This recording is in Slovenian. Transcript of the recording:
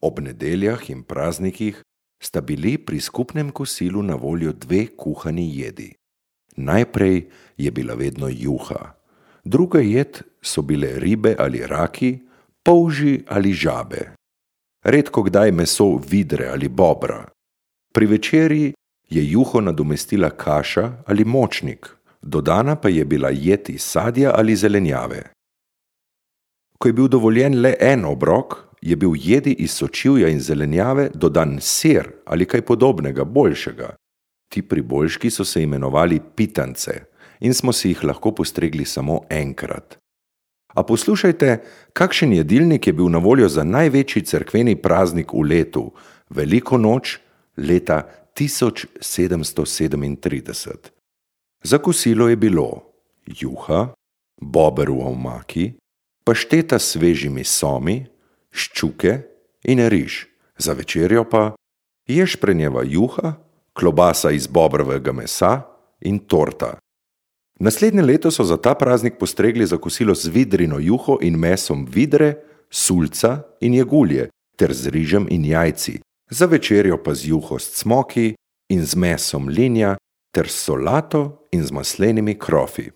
Ob nedeljah in praznikih sta bili pri skupnem kosilu na voljo dve kuhani jedi. Najprej je bila vedno juha, druga jed so bile ribe ali raki, polži ali žabe. Redko kdaj meso vidre ali bobra. Pri večerji je juho nadomestila kaša ali močnik, dodana pa je bila jed iz sadja ali zelenjave. Ko je bil dovoljen le en obrok, je bil jedi iz sočivja in zelenjave dodan sir ali kaj podobnega, boljšega. Ti priboljški so se imenovali pitance in smo si jih lahko postregli samo enkrat. A poslušajte, kakšen jedilnik je bil na voljo za največji cerkveni praznik v letu, Veliko noč leta 1737. Za kosilo je bilo juha, bober v omaki, pašteta s svežimi somi, ščuke in riž, za večerjo pa ješprenjeva juha, klobasa iz bobrovega mesa in torta. Naslednje leto so za ta praznik postregli za kosilo z vidrino juho in mesom vidre, sulca in jegulje, ter z rižem in jajci, za večerjo pa z juho s cmoki in z mesom linja ter s solato in z maslenimi krofi.